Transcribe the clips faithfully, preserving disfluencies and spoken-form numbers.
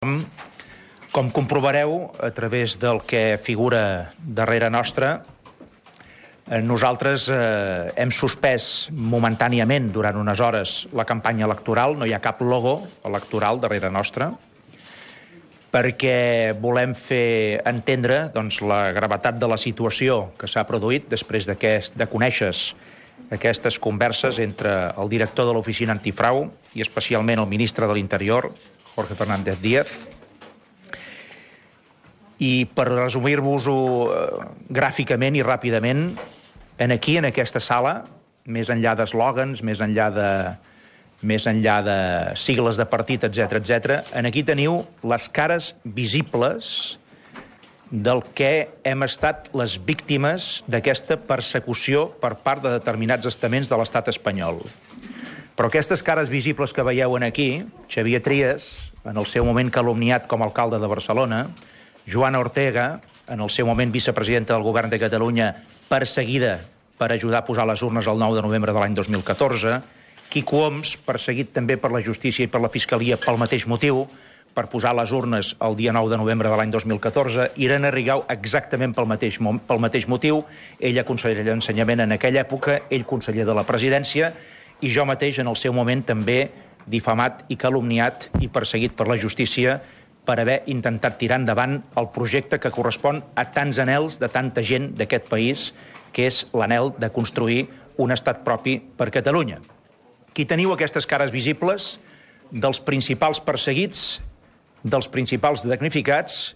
Com comprovareu, a través del que figura darrere nostra, nosaltres eh, hem suspès momentàniament, durant unes hores, la campanya electoral. No hi ha cap logo electoral darrere nostra, perquè volem fer entendre doncs, la gravetat de la situació que s'ha produït després de conèixer aquestes converses entre el director de l'Oficina Antifrau i especialment el ministre de l'Interior, Jorge Fernández Díaz. I per resumir-vos-ho eh, gràficament i ràpidament, en aquí, en aquesta sala, més enllà d'eslògans, més enllà de, més enllà de sigles de partit, etcètera, etcètera, en aquí teniu les cares visibles del que hem estat les víctimes d'aquesta persecució per part de determinats estaments de l'estat espanyol. Però aquestes cares visibles que veieu aquí, Xavier Trias, en el seu moment calumniat com a alcalde de Barcelona, Joana Ortega, en el seu moment vicepresidenta del govern de Catalunya, perseguida per ajudar a posar les urnes el nou de novembre de l'any dos mil catorze, Quico Homs, perseguit també per la justícia i per la fiscalia pel mateix motiu, per posar les urnes el dia nou de novembre de l'any dos mil catorze, Irene Rigau exactament pel mateix, pel mateix motiu, ella conseller d'Ensenyament en aquella època, ell conseller de la presidència, i jo mateix en el seu moment també difamat i calumniat i perseguit per la justícia per haver intentat tirar endavant el projecte que correspon a tants anhels de tanta gent d'aquest país, que és l'anhel de construir un estat propi per Catalunya. Aquí teniu aquestes cares visibles dels principals perseguits, dels principals damnificats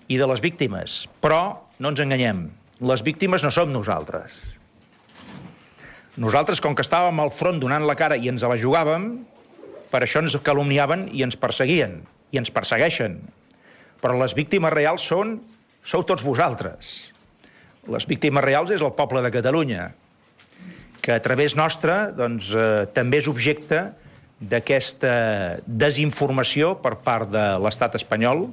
i de les víctimes. Però no ens enganyem, les víctimes no som nosaltres. Nosaltres, com que estàvem al front donant la cara i ens la jugàvem, per això ens calumniaven i ens perseguien, i ens persegueixen. Però les víctimes reals són, sou tots vosaltres. Les víctimes reals és el poble de Catalunya, que a través nostre doncs, eh, també és objecte d'aquesta desinformació per part de l'estat espanyol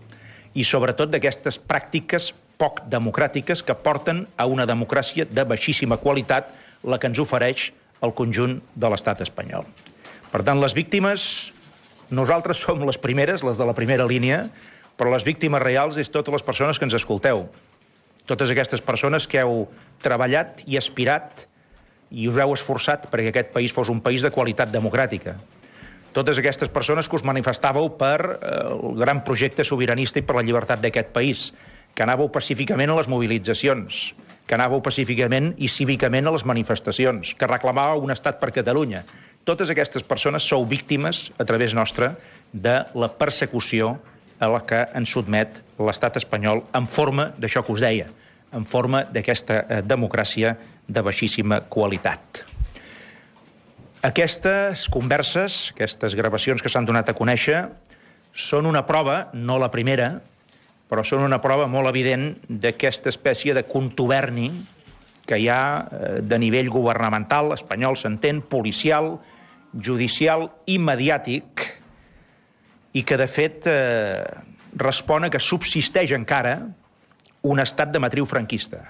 i sobretot d'aquestes pràctiques poc democràtiques que porten a una democràcia de baixíssima qualitat, la que ens ofereix el conjunt de l'estat espanyol. Per tant, les víctimes, nosaltres som les primeres, les de la primera línia, però les víctimes reals és totes les persones que ens escolteu. Totes aquestes persones que heu treballat i aspirat i us heu esforçat perquè aquest país fos un país de qualitat democràtica. Totes aquestes persones que us manifestàveu per el gran projecte sobiranista i per la llibertat d'aquest país, que anàveu pacíficament a les mobilitzacions, que anàveu pacíficament i cívicament a les manifestacions, que reclamàveu un estat per Catalunya. Totes aquestes persones sou víctimes, a través nostra, de la persecució a la que ens sotmet l'estat espanyol en forma d'això que us deia, en forma d'aquesta democràcia de baixíssima qualitat. Aquestes converses, aquestes gravacions que s'han donat a conèixer, són una prova, no la primera, però són una prova molt evident d'aquesta espècie de contuberni que hi ha de nivell governamental, espanyol s'entén, policial, judicial i mediàtic, i que de fet eh, respon a que subsisteix encara un estat de matriu franquista.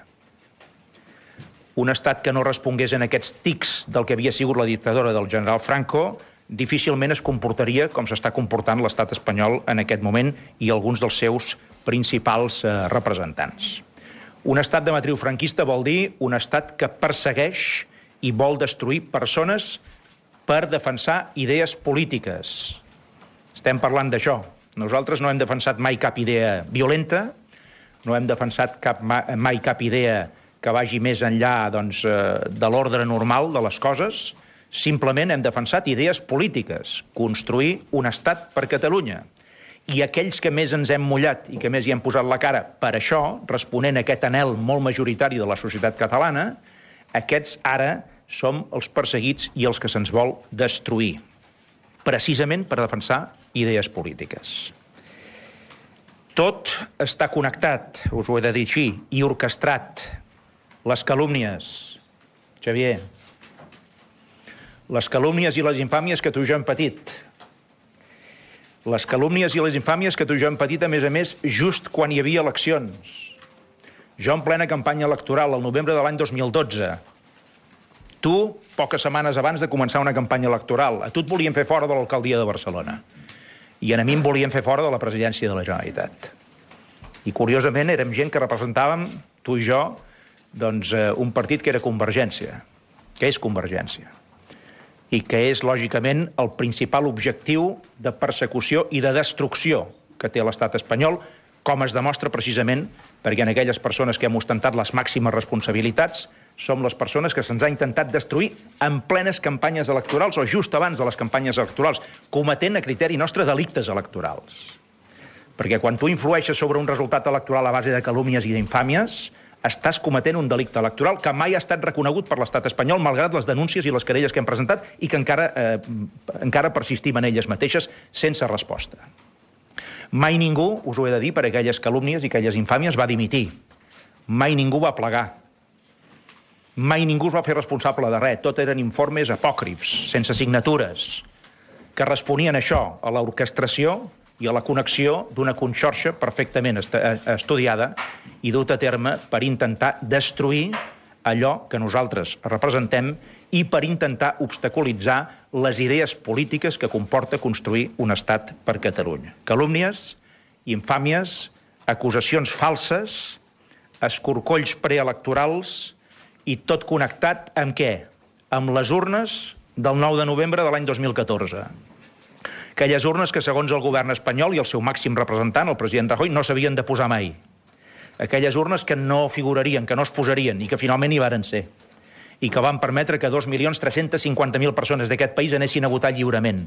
Un estat que no respongués en aquests tics del que havia sigut la dictadura del general Franco, difícilment es comportaria com s'està comportant l'estat espanyol en aquest moment i alguns dels seus principals eh, representants. Un estat de matriu franquista vol dir un estat que persegueix i vol destruir persones per defensar idees polítiques. Estem parlant d'això. Nosaltres no hem defensat mai cap idea violenta, no hem defensat cap, mai cap idea que vagi més enllà doncs, de l'ordre normal de les coses. Simplement hem defensat idees polítiques, construir un estat per Catalunya. I aquells que més ens hem mullat i que més hi hem posat la cara per això, responent a aquest anhel molt majoritari de la societat catalana, aquests ara som els perseguits i els que se'ns vol destruir, precisament per defensar idees polítiques. Tot està connectat, us ho he de dir així, i orquestrat. Les calúmnies, Xavier, les calúmnies i les infàmies que tu i jo hem patit. Les calúmnies i les infàmies que tu i jo hem patit, a més a més, just quan hi havia eleccions. Jo en plena campanya electoral, al novembre de l'any dos mil dotze, tu, poques setmanes abans de començar una campanya electoral, a tu et volien fer fora de l'alcaldia de Barcelona. i a mi em volien fer fora de la presidència de la Generalitat. I, curiosament, érem gent que representàvem, tu i jo, doncs, un partit que era Convergència, que és Convergència, i que és, lògicament, el principal objectiu de persecució i de destrucció que té l'estat espanyol, com es demostra precisament perquè en aquelles persones que hem ostentat les màximes responsabilitats som les persones que se'ns ha intentat destruir en plenes campanyes electorals o just abans de les campanyes electorals, cometent a criteri nostre delictes electorals. Perquè quan tu influeixes sobre un resultat electoral a base de calúmnies i d'infàmies, estàs cometent un delicte electoral que mai ha estat reconegut per l'estat espanyol, malgrat les denúncies i les querelles que hem presentat i que encara, eh, encara persistim en elles mateixes sense resposta. Mai ningú, us ho he de dir, per aquelles calúmnies i aquelles infàmies va dimitir. Mai ningú va plegar. Mai ningú es va fer responsable de res. Tot eren informes apòcrifs, sense signatures, que responien a això, a l'orquestració i a la connexió d'una conxorxa perfectament estudiada i dut a terme per intentar destruir allò que nosaltres representem i per intentar obstaculitzar les idees polítiques que comporta construir un estat per Catalunya. Calúmnies, infàmies, acusacions falses, escorcolls preelectorals i tot connectat amb què? Amb les urnes del nou de novembre de l'any dos mil catorze. Aquelles urnes que, segons el govern espanyol i el seu màxim representant, el president Rajoy, no s'havien de posar mai. Aquelles urnes que no figurarien, que no es posarien i que finalment hi varen ser. I que van permetre que dos milions tres-cents cinquanta mil persones d'aquest país anessin a votar lliurement.